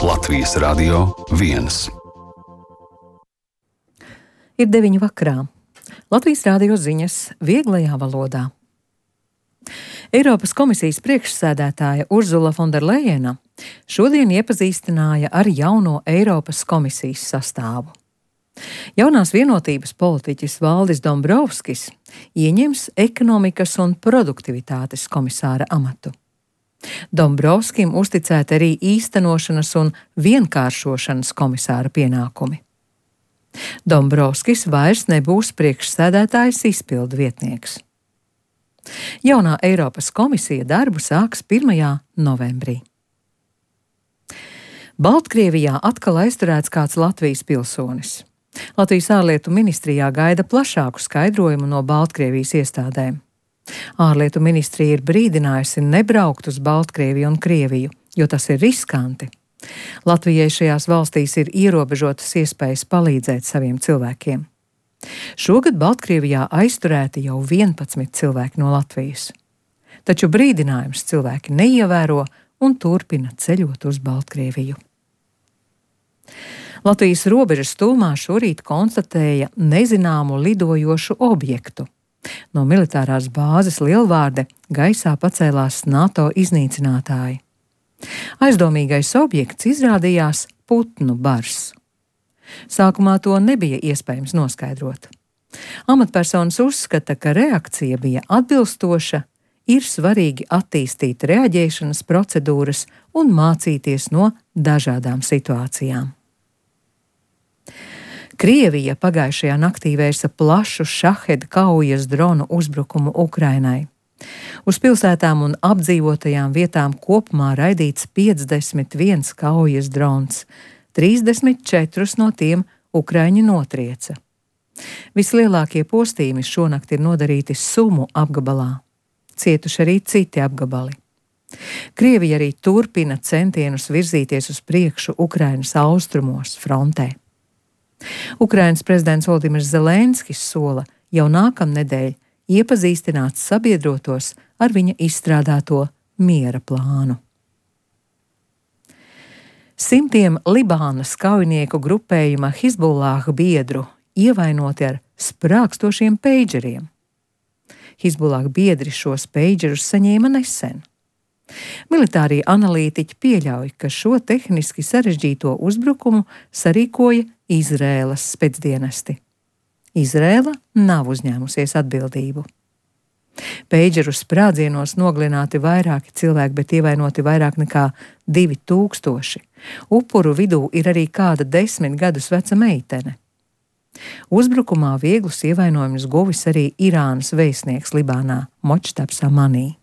Latvijas Radio 1. Ir 9 vakarā. Latvijas Rādio ziņas vieglajā valodā. Eiropas komisijas priekšsēdētāja Urzula Fonderlejena šodien iepazīstināja ar jauno Eiropas komisijas sastāvu. Jaunās vienotības politiķis Valdis Dombrovskis ieņems ekonomikas un produktivitātes komisāra amatu. Dombrovskim uzticēta arī īstenošanas un vienkāršošanas komisāra pienākumi. Dombrovskis vairs nebūs priekšsēdētājas izpildu vietnieks. Jaunā Eiropas komisija darbu sāks 1. novembrī. Baltkrievijā atkal aizturēts kāds Latvijas pilsonis. Latvijas ārlietu ministrijā gaida plašāku skaidrojumu no Baltkrievijas iestādēm. Ārlietu ministrija ir brīdinājusi nebraukt uz Baltkrieviju un Krieviju, jo tas ir riskanti. Latvijai šajās valstīs ir ierobežotas iespējas palīdzēt saviem cilvēkiem. Šogad Baltkrievijā aizturēti jau 11 cilvēki no Latvijas. Taču brīdinājums cilvēki neievēro un turpina ceļot uz Baltkrieviju. Latvijas robežas tūmā šorīt konstatēja nezināmu lidojošu objektu. No militārās bāzes Lielvārde gaisā pacēlās NATO iznīcinātāji. Aizdomīgais objekts izrādījās putnu bars. Sākumā to nebija iespējams noskaidrot. Amatpersonas uzskata, ka reakcija bija atbilstoša, ir svarīgi attīstīt reaģēšanas procedūras un mācīties no dažādām situācijām. Krievija pagājušajā naktī vērsa plašu šaheda kaujas dronu uzbrukumu Ukrainai. Uz pilsētām un apdzīvotajām vietām kopumā raidīts 51 kaujas drons, 34 no tiem Ukraiņi notrieca. Vislielākie postījumi šonakt ir nodarīti Sumu apgabalā. Cietuši arī citi apgabali. Krievija arī turpina centienus virzīties uz priekšu Ukrainas austrumos frontē. Ukrainas prezidents Volodimirs Zelenskis sola jau nākamnedēļ iepazīstināt sabiedrotos ar viņa izstrādāto miera plānu. Simtiem Libānas kaujinieku grupējuma Hizbullah biedru ievainoti ar sprākstošiem peidžeriem. Hizbullah biedri šos peidžerus saņēma nesen. Militārie analītiķi pieļauj, ka šo tehniski sarežģīto uzbrukumu sarīkoja Izraēlas spēcdienesti. Izraēla nav uzņēmusies atbildību. Peidžeru sprādzienos nogalināti vairāki cilvēki, bet ievainoti vairāk nekā 2000. Upuru vidū ir arī kāda 10 gadus veca meitene. Uzbrukumā vieglus ievainojumus guvis arī Irānas vēstnieks Libānā Močtabs Amanī.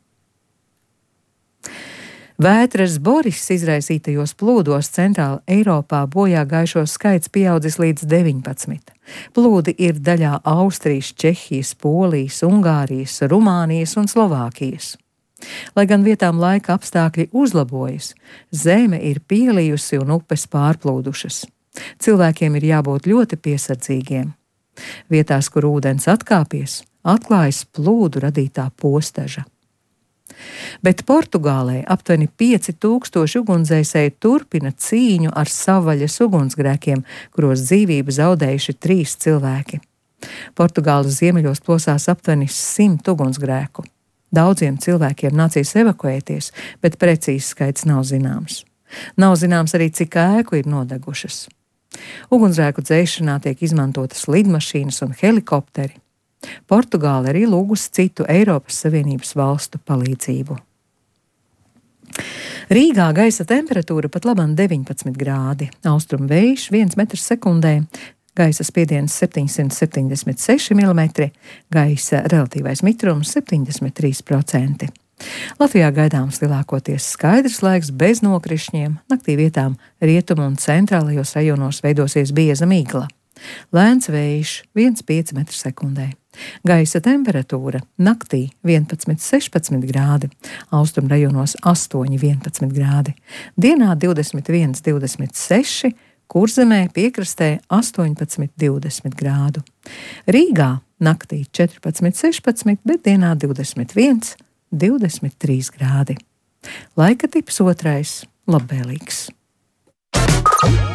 Vētras Boris izraisītajos plūdos centrāla Eiropā bojā gājušo skaits pieaudzis līdz 19. Plūdi ir daļā Austrijas, Čehijas, Polijas, Ungārijas, Rumānijas un Slovākijas. Lai gan vietām laika apstākļi uzlabojas, zeme ir pielijusi un upes pārplūdušas. Cilvēkiem ir jābūt ļoti piesardzīgiem. Vietās, kur ūdens atkāpjas, atklājas plūdu radītā postaža. Bet Portugālē aptuveni 5000 ugunsdzēsēji turpina cīņu ar savvaļas ugunsgrēkiem, kuros dzīvību zaudējuši 3 cilvēki. Portugāles ziemeļos plosās aptuveni 100 ugunsgrēku. Daudziem cilvēkiem nācies evakuēties, bet precīzs skaits nav zināms. Nav zināms arī, cik ēku ir nodegušas. Ugunsgrēku dzēšanā tiek izmantotas lidmašīnas un helikopteri. Portugāle arī lūgusi citu Eiropas Savienības valstu palīdzību. Rīgā gaisa temperatūra pat labam 19 grādi, austrumu vējš 1 metrs sekundē, gaisa spiediens 776 mm, gaisa relatīvais mitrums 73%. Latvijā gaidāms lielākoties skaidrs laiks bez nokrišņiem, naktī vietām rietumu un centrālajos rajonos veidosies bieza migla. Lēns vējš 1,5 metru sekundē. Gaisa temperatūra naktī 11,16 grādi, austrumu rajonos 8,11 grādi, dienā 21,26, Kurzemē piekrastē 18,20 grādu. Rīgā naktī 14,16, bet dienā 21,23 grādi. Laika tips 2. labvēlīgs.